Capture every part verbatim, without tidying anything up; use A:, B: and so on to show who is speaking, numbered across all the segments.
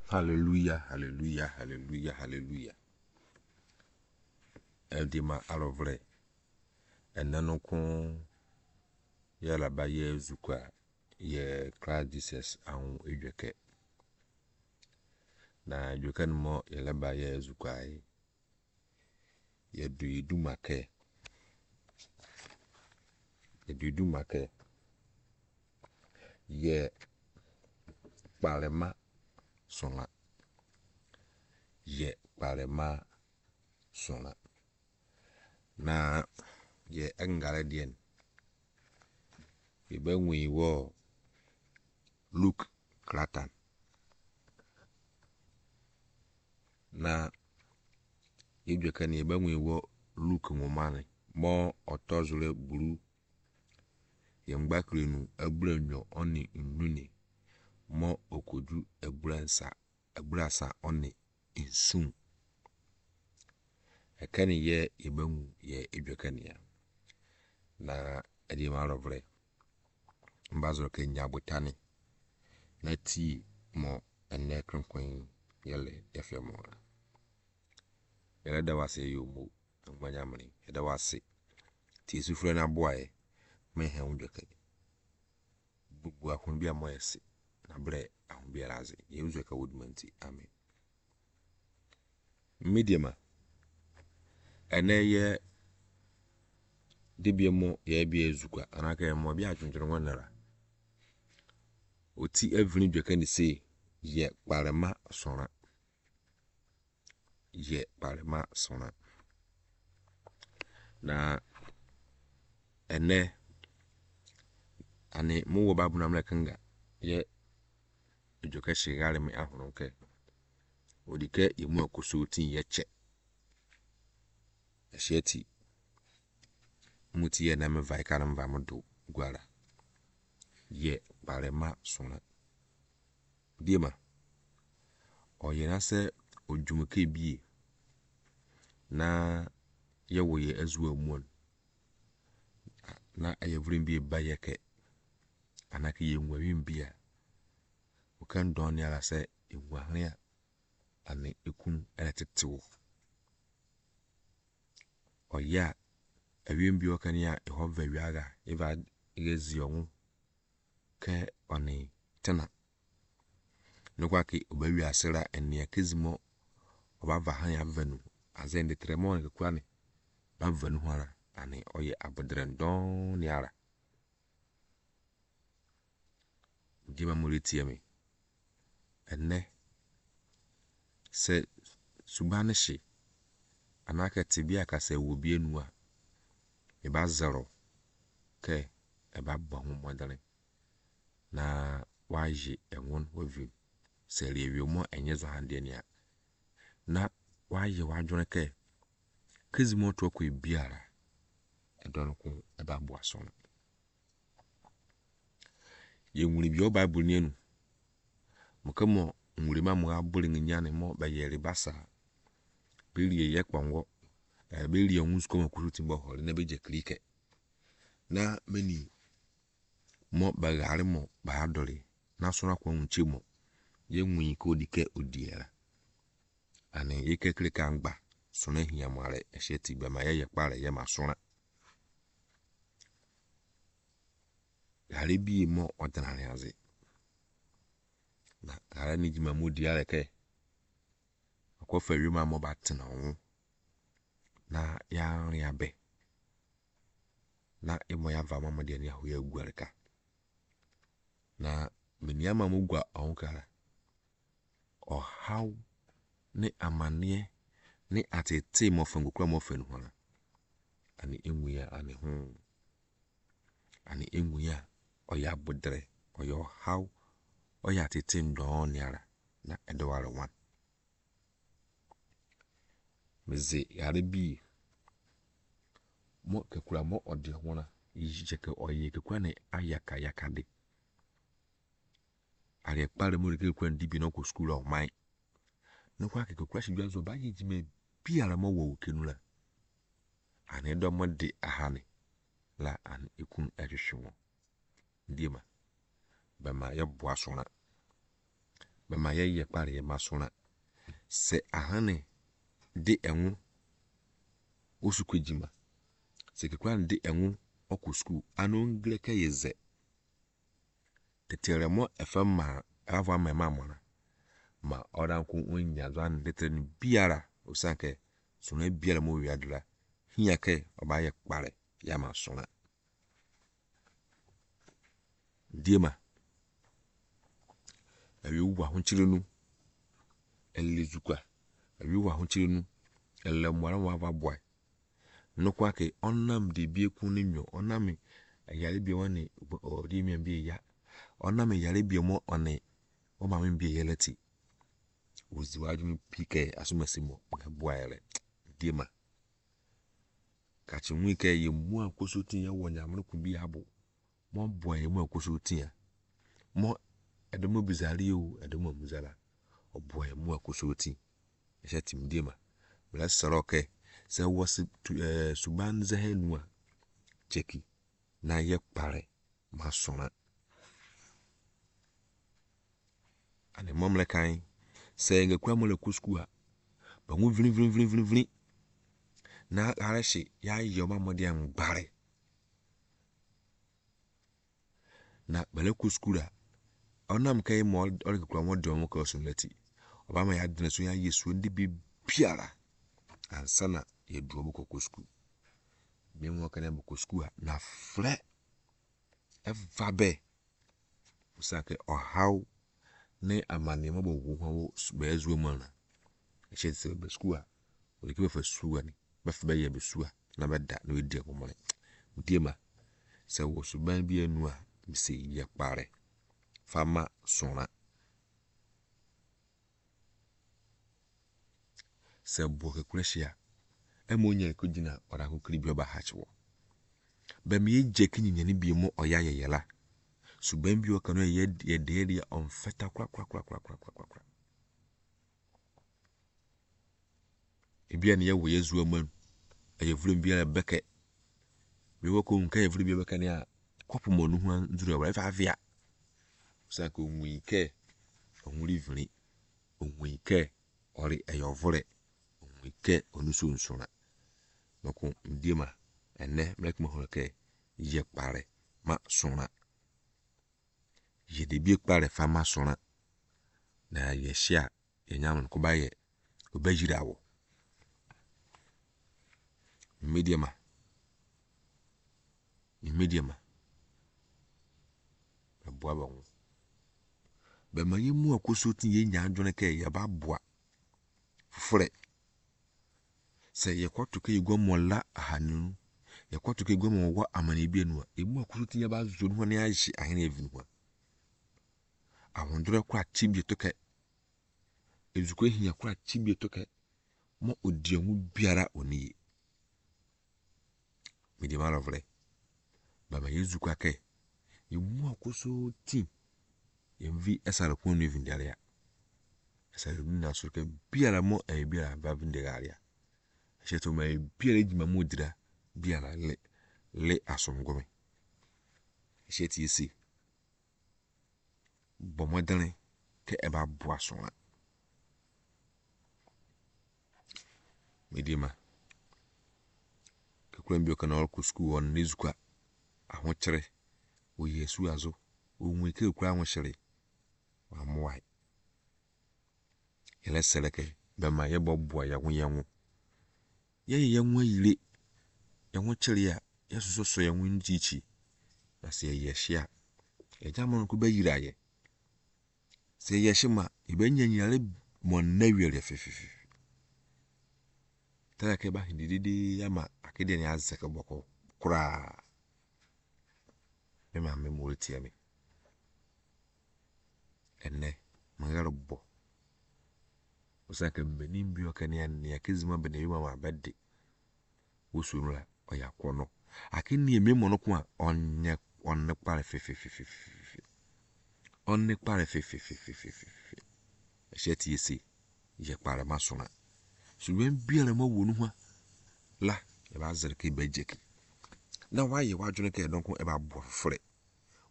A: Hallelujah, hallelujah, hallelujah, hallelujah. Ɛde ma alɔvrɛ ɛnɛ no ko yɛlaba yɛ zukwa yɛ Christ Jesus ahun edwɛkɛ. Na edwɛkɛ no mɔ yɛlaba yɛ zukwa yi. Yɛdu idumakɛ. Yɛdu idumakɛ. Yɛ kparema sɔnga. Yɛ kparema sɔnga. Na yɛ ɛngalɛ diɛn. Yɛbɛ ŋui wɔ Luke kratan. Na yɛdwɛkɛ ni yɛbɛ ŋui wɔ Luke ŋoma ni mɔ ɔtɔzulɛ blu yɛngbakilenu ɛblenyo ɔni nnuni mɔ okodu ɛblensa ɛblasa ɔni nsun. Ɛkɛ ni yɛ yɛbɛ ŋu yɛ edwɛkɛ niya. Na ɛdi ma alɔvlɛ mbazɔ kɛ nyabutani na tii mɔ ɛnɛ kronkron yɛlɛ yɛfɛ mɔra. Yɛlɛ da wase yomo agbanyamli yɛda wase ti Yesu frɛ na aboa yɛ mɛ hɛn wo dwɛkɛ. Gbogbo ahun bi a mɔ yɛse na brɛ ahun biara adze. Yesu ka wo dwuma nti amen. Mediama ɛnɛ yɛ debia mɔ yɛ bia zukwa anaa kɛ mɔ bi adwendwene ho nara. Oti evini dwɛkɛ ni se yɛ kparema sɔra. Yɛ kparema sɔra. Na ɛnɛ ane mo wɔ Bible na mlɛ kenga yɛ edwɛkɛ hyɛ mi ahono kɛ odi kɛ yɛmu akoso tin yɛ kyɛ. Ɛhyɛ ti mu ti yɛ na me va ika na me va mo do guara. Yɛ kparema sɔra. Diema ɔyɛ na sɛ odwumke bie na yɛwɔ yɛ azuwa muon na ɛyɛ vren bi ba yɛ kɛ anaa kɛ yɛ nwa bi a ɔka ndɔn ni ara sɛ enwa hene a ane ekun ɛtete wo. Ɔyɛ a ɛwiem bi ɔka ni a ɛhɔ vɛ wiaga eva ezi ɔnwo kɛ ɔne tena. Nokwa ke ɔbɛ wiase ra ɛnea kezi mɔ ɔba va han ya vɛnu azɛ ndetrɛ mɔ kekura ni ba vɛnu ho ara ane ɔyɛ abodrɛ ndɔn ni ara. Diema mo retie mi. Ɛnɛ sɛ suban hye anaa kɛ te bi a kasa wɔ bi enu a eba zɛrɔ kɛ ɛba bɔ ho mmɔdene na wayɛ ɛnwon wavi sɛ ɛrewie mɔ ɛnyɛ zɔ han deɛ nea na wayɛ wadwene kɛ kezi mɔ to kɔ biara ɛdɔ no ko ɛba boa so no. Yɛnwuri bi wɔ Bible ni enu. Mo kɛ mɔ nwuri ma mo abore nyane mɔ bɛyɛre basa berie yɛ kpɔngɔ ɛɛ berie ɔnwo sukɔ mɔ kusu ti bɔ hɔre na bɛgye kirikɛ. Na meni mɔ bɛghare mɔ baadɔre na sɔrɔ akɔ nkye mɔ yɛ nwui kɛ odi kɛ odiara. Ane yɛ kɛ kire ka ngba sɔrɔ hia mo arɛ ɛhyɛ ti bɛma yɛyɛ kparɛ yɛ ma sɔrɔ. Ghare bi mɔ ɔdenare adze. Na ghare ni gyima mɔ di arɛ kɛ ɔkɔfa wiem a mɔ ba tena ɔnwo na yɛare abɛ na emɔ yɛava mɔ deɛ ni ahɔ yɛ aguareka. Na meni ama mo gua ɔnwo kara. Ɔhaw ne amaneɛ ne atete mɔfɛ ngokura mɔfɛ no ho ara. Ane enwi a ane ho. Ane enwi a ɔyɛ abodrɛ, ɔyɛ ɔhaw, ɔyɛ atete ndɔn ni ara na ɛdɔware wan. Medze ghare bi mɔ kekura mɔ ɔde ho na yi kɛ ɔyɛ kekura ne ayakayaka de. Are kpare mo de kekura ndi bi na ɔkɔ sukuu ɔman. No kwa kekura hyɛ dwa so ba yɛ gyima biara mɔ wɔ kenu la. Ane dɔ mo de ahane la ane ekun ɛhwehwɛ wɔn. Ndiema bɛma yɛboa sɔra. Bɛma yɛyɛ kpare yɛ ma sona. Sɛ ahane de ɛnwo osu kɔ edwuma, sɛ kekura de ɛnwo ɔkɔ sukuu, ana ongile kɛ yɛ zɛ. Tetere mo ɛfɛ ma ɛfɔ ama ɛma mɔna ma ɔdanko onya zo ane tetere no biara osiane kɛ sona biara mo wia do la hia kɛ ɔba yɛ kpare yɛ ama sona. Ndiema ɛwi wɔ ahokyere nu ɛlɛ zukwa, ɛwi wɔ ahokyere nu ɛlɛ mmoa mo ava boa. Nokwa ke ɔnam de bi eku ne nyo, ɔnam ɛyare bi ɔne ɔde bi eya, ɔnam ɛyare bi mo ɔne ɔmaame bi eya la ti, ozi w'adwene pi kɛ asomasi mo boa yɛlɛ. Ndiema kakye hu kɛ yɛ mu akoso ti yɛ wɔ nyame ko bi abo mo boa yɛ mu akoso tia mo ɛdɔm bizari o ɛdɔm amuzala ɔboa yɛ mu akoso ti ɛhyɛ tim ndiema mlɛ srɛ kɛ sɛ wɔ ɛɛ suban zɛhɛ nu a kyɛki na yɛ kpare ma sona. Ane mɔmlɛ kan sɛ ngekura mo lɛ kɔ sukuu a bɛnwo vini vini vini vini na arɛhye yayɛ ɔma mo deɛ ngbare na bɛlɛ kɔ sukuu a ɔnam kɛ mɔ ɔlɛ kekura mo deɛ ɔmo kɔ so lɛti ɔba ma yadene so yayɛ suo de biara ansa na yɛdu ɔmo kɔ kɔ sukuu. Bi mo kɛ bɛ kɔ sukuu a na frɛ ɛva bɛ osiane kɛ ɔhaw ne amanneɛ bɔ wo ho bɛyɛ zuo mu ana ɛhyɛ sɛ bɛ sukuu a wɔde kɛ bɛfa sukuu ani bɛfa bɛyɛ bɛ sukuu a na bɛda na bɛdi agomɔne. Ndiema sɛ wɔ suban bi anu a mise yɛ kpare fa ma sona. Sɛ boɔ kekura hyia ɛma onya kɔgyina ɔdanko kiri bi ɔba hakye wɔ. Bɛma yɛgye ke nyinyane bi mo ɔyɛ ayɛyɛ la. Suban bi ɔka no yɛ yɛdeɛ deɛ ɔmfɛta korakorakorakorakorakora. Ebi a ne yɛwɔ yɛ zuo mu ɛyɛ vlom bi a bɛkɛ. Bi wɔ kɔ nka yɛ vlom bi bɛkɛ ne a kɔpɔ mo no ho nzuru ɛwɔ ɛfa avia. Osiane kɛ onwui kɛ ɔnwuri vini, onwui kɛ ɔre ɛyɛ ɔvorɛ, onwui kɛ ɔno so nsona. Nɔko ndiema ɛnɛ mlɛ kɛ mo kɛ yɛ kpare ma sona. Yɛ debi kpare fa ma sona na yɛ hyia yɛ nyame ko ba yɛ ɔbɛyira wɔ. Mmediema mmediema bɛboa bɛho. Bɛma yɛmu akoso ti yɛnya adwene kɛ yɛba boa foforɛ. Sɛ yɛkɔto kɛ yɛguamɔ la ahanu, yɛkɔto kɛ yɛguamɔ wɔ amane bi anu a, emu akoso ti yɛba zo no ho ne ahye ahene evi no ho. Ahondorɔ kora kye bi to kɛ, ezukɔ hia kora kye bi to kɛ, mo odiamu biara oni ye. Mediema lɔvrɛ bɛma yɛzukwa kɛ emu akoso ti yɛnvi ɛsare ko nu evi ndɛria. Ɛsare nu na so kɛ biara mo ɛyɛ biara va vi ndɛria. Ɛhyɛ to ma biara edwuma mo dira biara le le asomgome. Ɛhyɛ ti esi bɔ mmɔdene kɛ ɛba boa sona. Mediema kekura bi ɔka na ɔrekɔ sukuu ɔno ne zukwa ahokyere oyɛ su azo onwui kɛ ekura ahohyere wamoa. Yɛlɛ sɛlɛ kɛ bɛma yɛbɔ boa yɛn ho yɛn ho. Yɛyɛ yɛn ho ayire yɛn ho kyere a yɛsosɔ yɛn ho nkyikyi na sɛ yɛyɛ hyia yɛgya mo no ko bɛyira yɛ. Sɛ yɛyɛ hye ma yɛbɛnya nyare mɔ nnɛ wiɛ fɛfɛfɛ. Tara kɛ ba dididi ama akedeɛ ne azɛ kɛ bɔkɔ koraa. Me maame mo retie me. Ɛnɛ mɛyɛrɛ bɔ. Osiane kɛ mmenim bi ɔka ne nea kezima bɛ ne ebi ma bɛde wosuo no la ɔyɛ akɔnɔ. Ake nie memo no ko a ɔnyɛ ɔne kpare fɛfɛfɛfɛfɛ. Ɔne kpare fɛfɛfɛfɛfɛ. Ɛhyɛ ti esi yɛ kpare ma sona. Suban biara mo wɔ no ho la ɛba zɛrɛ kɛ bɛgye ki. Na wayɛ w'adwene kɛ ɛdɔnko ɛba boa foforɛ.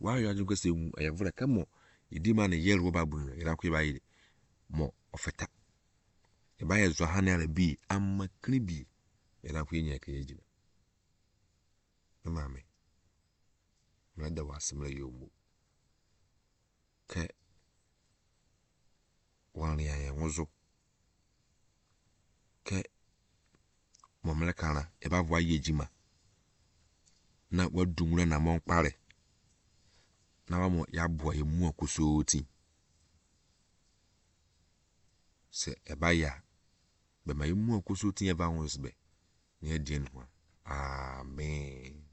A: Wayɛ w'adwene kɛ sɛ ehu ɛyɛ vorɛ kɛ mo Yɛdi ma no yɛre wɔ Bible no yɛn akɔ yɛba yɛ mɔ ɔfɛta. Yɛba yɛ zɔ hane ara bi ama kiri bi yɛn akɔ yɛnya kɛyɛ gyina. Me maame, mmerɛ da wɔ ase mmerɛ yɛ omo. Kɛ wɔn yɛn yɛn ho zo. Kɛ mɔmmerɛ kara yɛba voa yɛ gyima na wadu nwura na mɔnkpare na wamɔ yɛaboa yɛn mu akosoo ti. Sɛ ɛba yɛ a, bɛma yɛn mu akosoo ti yɛba ho sɛ bɛ na yɛdeɛ no ho a. Amen.